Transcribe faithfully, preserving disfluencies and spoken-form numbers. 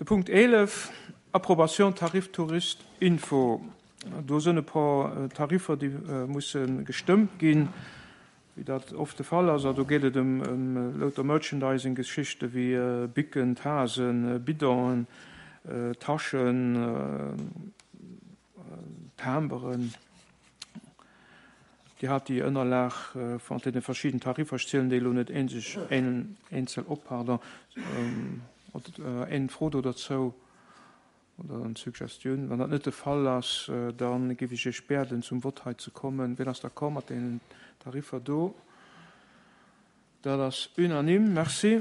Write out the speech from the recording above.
De Punkt eelef, Approbation Tarif Tourist Info. Do sënn e puer Tariffer, déi musse gestëmmt ginn, wéi dat oft de Fall ass. A do geet et ëm louter Merchandising-Geschichte wéi Bicken, Tasen, Bidonen, Taschen, Timberen. Dir hat déi Ënnerlag mat deene verschidden Tariffer. Ech zielen déi elo net eenzel op, pardon. Eng Fro do derzou oder eng Suggestioun? Wann dat net de Fall ass, da géif ech Iech bieden, zum Vott hei ze kommen. Wien ass d'accord mat deenen Tariffer do? Dat ass unanime. Merci.